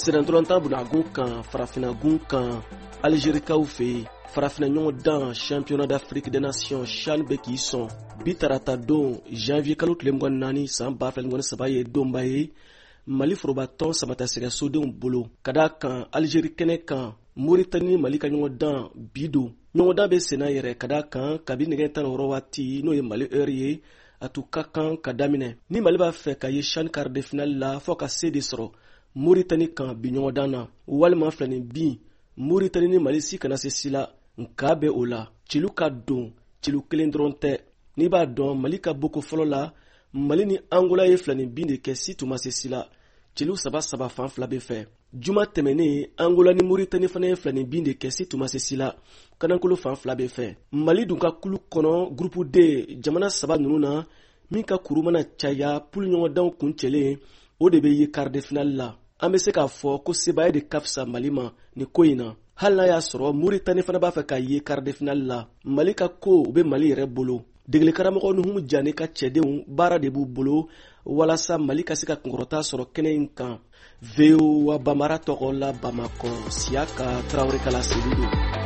Sennantolatan bunagun kan, farafinagun kan, Alizerikaw fɛ yen, farafina ɲɔgɔndan Championnat d'Afrique des Nations CHAN bɛ k'i sɔn bi tarata don, janvier kalo tile 24 san 2023 ye donba ye Mali forobatɔn samatasɛgɛsodenw bolo, ka d'a kan Alizeri kɛnɛ kan, Moritani ni Mali ka ɲɔgɔndan bi don. Ɲɔgɔndan bɛ senna yɛrɛ, ka d'a kan kabi nɛgɛ 16 waati, n'o ye Mali heure ye, a tun ka kan ka daminɛ. Ni Mali b'a fɛ ka ye CHAN quart de finale la, fɔ ka se de sɔrɔ Moritani kan bi ɲɔgɔndan na, walima filani bin Moritani ni Mali si kana se si la. Nka bɛ o la, celu ka don celu kelen dɔrɔn tɛ. N'i b'a dɔn, Mali ka boko fɔlɔ la, Mali ni Angola ye filani bin de kɛ, si tun ma se si la, celu saba saba fan fila bɛ fɛ. Juma tɛmɛnen, Angola ni Moritani fana ye filani bin de kɛ, si tun ma se si la, kanankolo fan fila bɛ fɛ. Mali dun ka kulu kɔnɔ, groupe D, jamana saba ninnu na, min ka kuru mana caya poule ɲɔgɔndanw kuncɛlen, o de bɛ ye quart de finale la. An bɛ se k'a fɔ ko sebaaya de ka fisa Mali ma nin ko in na, hali n'a y'a sɔrɔ Moritani fana b'a fɛ ka ye quart de finale la. Mali ka ko u bɛ Mali yɛrɛ bolo. Degeli karamɔgɔ Nuhumu Jane ka cɛdenw, baara de b'u bolo walasa Mali ka se ka kunkɔrɔta sɔrɔ kɛnɛ in kan. VOA Bambara tɔgɔ la, Bamakɔ, Siyaka Tarawele ka laseli don.